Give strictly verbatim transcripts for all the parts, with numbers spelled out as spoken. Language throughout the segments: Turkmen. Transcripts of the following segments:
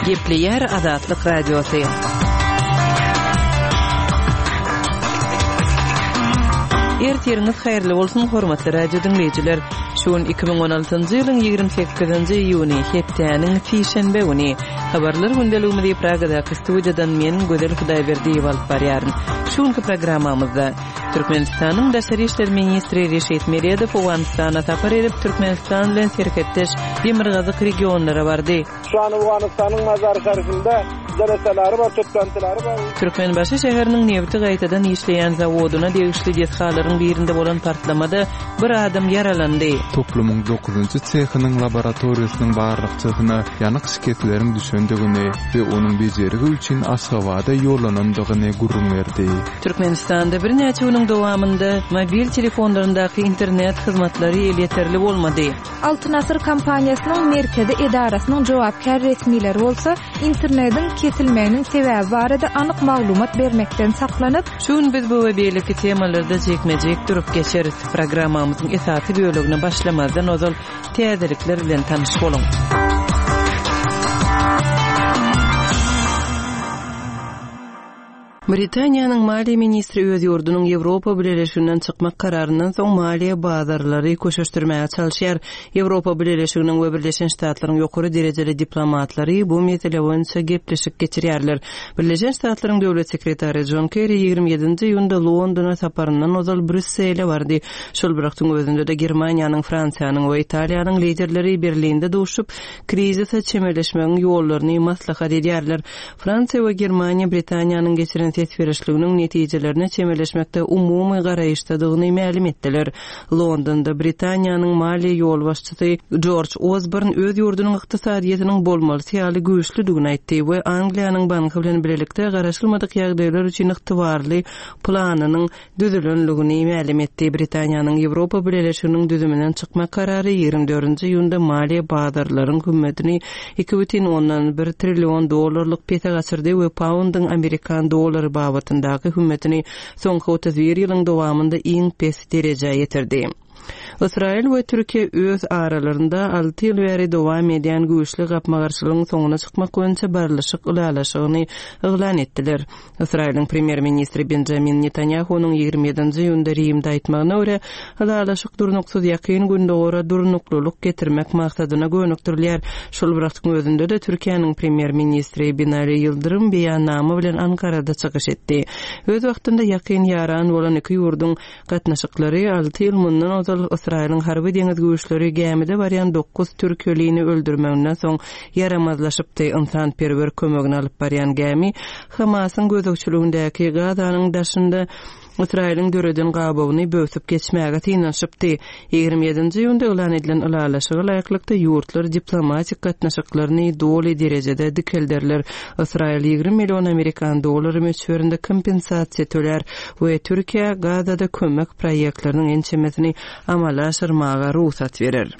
Gepleýär Azatlyk Radiosy. Ertiriňiz haýyrly bolsun, hormatly radio diňleýjiler. Şu gün iki müň on altynjy ýylyň ýigrimi sekizinji iýuny, hepdäniň sişenbe güni. Habarlar gündeligimizi Pragadaky studiýadan men Gözel Hudaýberdiýewa alyp barýaryn. Şu günki programmamyzda Türkmenistanyň Daşary işler ministri Reşit Meredow Owganystana sapar edip, Türkmenistan bilen serhetdeş demirgazyk regionlara bardy. Şu an Owganystanyň Mazar-Şarifinde jeleseleri bar, toplantyları bar. Türkmenbaşy şäheriniň nebiti gaýtadan işleýän zawodyna degişli desgalaryň birinde bolan partlamada bir adam ýaralandy. Toplumyň dokuzynjy sehiniň laboratoriýasynyň barlagçysyna ýanyk şikesleriň düşendigini we onuň bejergi üçin Aşgabada ýollanandygyny gürrüň berdi. Türkmenistanda birnäçe günüň dowamynda mobil telefonlaryndaky internet hyzmatlary elýeterli bolmady. Altyn Asyr kompaniýasynyň merkezi edarasynyň jogapkär resmileri bolsa internetiň kesilmeginiň sebäbi barada anyk maglumat bermekden saklanyp, Şu gün biz bu we beýleki temalarda jikme-jik durup geçeris. Programmamyzyň esasy bölegine başlamazdan ozal täzelikler bilen tanyş boluň. Britaniýanyň maliýe ministri öz ýurdunyň Ýewropa Bileleşiginden çykmak kararyndan soň maliýe bazarlary köşeşdirmäge çalyşýar. Ýewropa Bileleşiginiň we Birleşen Ştatlaryň ýokary derejeli diplomatlary bu mesele boýunça gepleşik geçirýärler. Birleşen Ştatlaryň döwlet sekretary John Kerry ýigrimi ýedinji iýunda Londona saparyndan ozal Brýussele bardy. Şol bir wagtyň özünde-de Germaniýanyň, Fransiýanyň we Italiýanyň liderleri Berlinde duşup, krizise çemeleşmegiň ýollaryny maslahat edýärler. Fransiýa we Germaniýa Britaniýanyň geçiren ses berişliginiň netijelerine çemeleşmekde umumy garaýyşdadygyny mälim etdiler. Londonda Britaniýanyň maliýe ýolbaşçysy George Osborne öz ýurdunyň ykdysadyýetiniň bolmalysy ýaly güýçlüdigini aýtdy we Angliýanyň banky bilen birlikde garaşylmadyk ýagdaýlar üçin ygtybarly planynyň düzülenligini mälim etdi. Britaniýanyň Ýewropa Bileleşiginiň düzüminden çykmak karary ýigrimi dördünji iýunda maliýe bazarlaryň hümmetini iki bütin ondan bir trillion dollarlyk pese gaçyrdy we poundyň amerikan dollary babatyndaky hümmetini soňky otuz bir ýylyň dowamynda iň pes derejä ýetirdi. Ysraýyl we Türkiýe öz aralarynda alty ýyl bäri dowam edýän güýçli gapma-garşylygyň soňuna çykmak boýunça barlyşyk ylalaşygyny yglan etdiler. Ysraýylyň premýer-ministri Benjamin Netanyahu'nyň ýigrimi ýedinji iýunda Rimde aýtmagyna görä, ylalaşyk durnuksyz ýakyn gündogara durnuklylyk getirmek maksadyna gönükdirilýär. Şol bir wagtyň özünde-de Türkiýäniň premýer-ministri Binali Ýyldyrym beýannama bilen Ankarada çykyş etdi. Öz wagtynda ýakyn ýaran bolan iki ýurduň gatnaşyklary alty ýyl mundan ozal Ysraýylyň harby deňiz güýçleri gämide barýan dokuz türkiýelini öldürmeginden soň ýaramazlaşypdy. Ynsanperwer kömegini alyp barýan gämi Hamasyň gözegçiligindäki Gazanyň daşynda Ysraýylyň döreden gabawyny böwsüp geçmäge synanyşypdy. Ýigrimi ýedinji iýunda yglan edilen ylalaşyga laýyklykda ýurtlar diplomatik gatnaşyklaryny doly derejede dikelderler. Ysraýyl ýigrimi million amerikan dollary möçberinde kompensasiýa tölär we Türkiýe Gazada kömek proýektleriniň ençemesini amala aşyrmaga rugsat berer.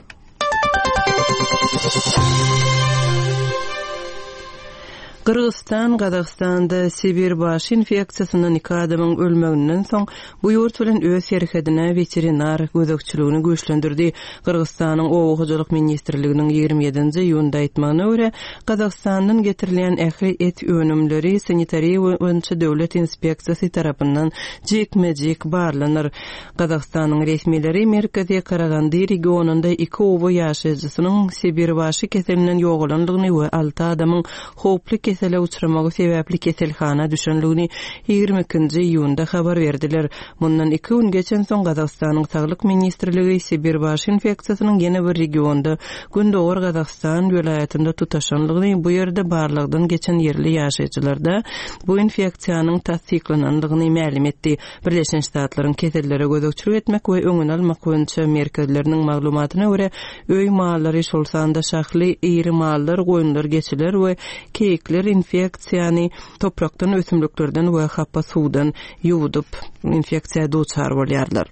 Gyrgyzystan, Gazagystanda Sibir baş infeksiýasyndan iki adamyň ölmeginden soň bu ýurt bilen öz serhedine weterinar gözegçiligini güýçlendirdi. Gyrgyzystanyň Oba hojalyk ministrliginiň ýigrimi ýedinji iýunda aýtmagyna görä, Gazagystandan getirilýän ähli et önümleri sanitariýa boýunça döwlet inspeksiýasy tarapyndan jikme-jik barlanar. Gazagystanyň resmileri Merkezi Karagandy regionunda iki oba ýaşaýjysynyň Sibir başy keselinden ýogalandygyny we alty adamyň howply kesele uçramagy sebäpli keselhana düşenligini ýigrimi ikinji iýunda habar berdiler. Mundan iki gün geçen soň Gazagystanyň Saglyk ministrligi Sibir baş infeksiýasynyň ýene bir regionda Gündogar Gazagystan welaýatynda tutaşanlygyny, bu ýerde barlagdan geçen ýerli ýaşaýjylarda bu infeksiýanyň tassyklanandygyny mälim etdi. Birleşen Ştatlaryň kesellere gözegçilik etmek we öňüni almak boýunça merkezleriniň maglumatyna görä, öý mallary, şol sanda şahly iri mallar, goýunlar, geçiler we keýikler infeksiýany toprakdan, ösümliklerden we hapa suwdan ýuwudyp infeksiýa duçar bolýarlar.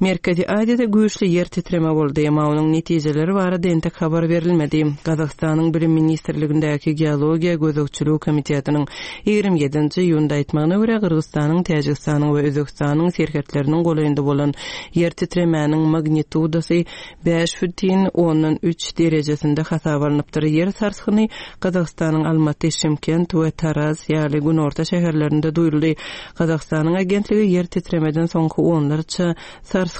Merkezi Aziýada güýçli ýer titreme boldy, emma onuň netijeleri barada entek habar berilmedi. Gazagystanyň Bilim ministrligindäki Geologiýa gözegçiligi komitetiniň ýigrimi ýedinji iýunda aýtmagyna görä, Gyrgyzystanyň, Täjigistanyň we Özbegistanyň serhetleriniň golaýynda bolan ýer titremäniň magnitudasy bäş bütin ondan üç derejesinde hasaba alnypdyr. Ýer sarsgyny Gazagystanyň Almaty, Şymkent we Taraz ýaly günorta şäherlerinde duýuldy. Gazagystanyň agentligi ýer titremeden soňky onlarça sarsgynyň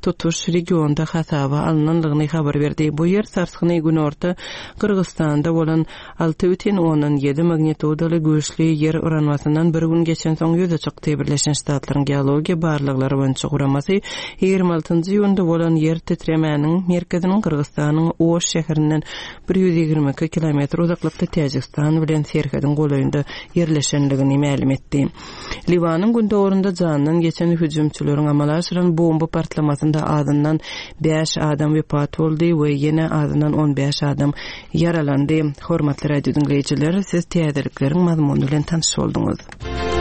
tutuş regionda hasaba alnanlygyny habar berdi. Bu ýer sarsgyny günorta Gyrgyzystanda bolan alty bütin ondan ýedi magnitudaly güýçli ýer yranmasyndan bir gün geçensoň ýüze çykdy. Birleşen Ştatlaryň Geologiýa barlaglary boýunça guramasy ýigrimi altynjy iýunda bolan ýer titremäniň merkeziniň Gyrgyzystanyň Oş şäherinden bir ýüz ýigrimi iki kilometr uzaklykda Täjigistan bilen serhediň golaýynda ýerleşenligini mälim etdi. Liwanyň gündogarynda jandan geçen hüjümçileriň amala aşyran bomba partlamasynda azyndan bäş adam wepat boldy we ýene azyndan on bäş adam ýaralandy. Hormatly radio diňleýjiler, siz täzelikleriň mazmuny bilen tanyş bolduňyz.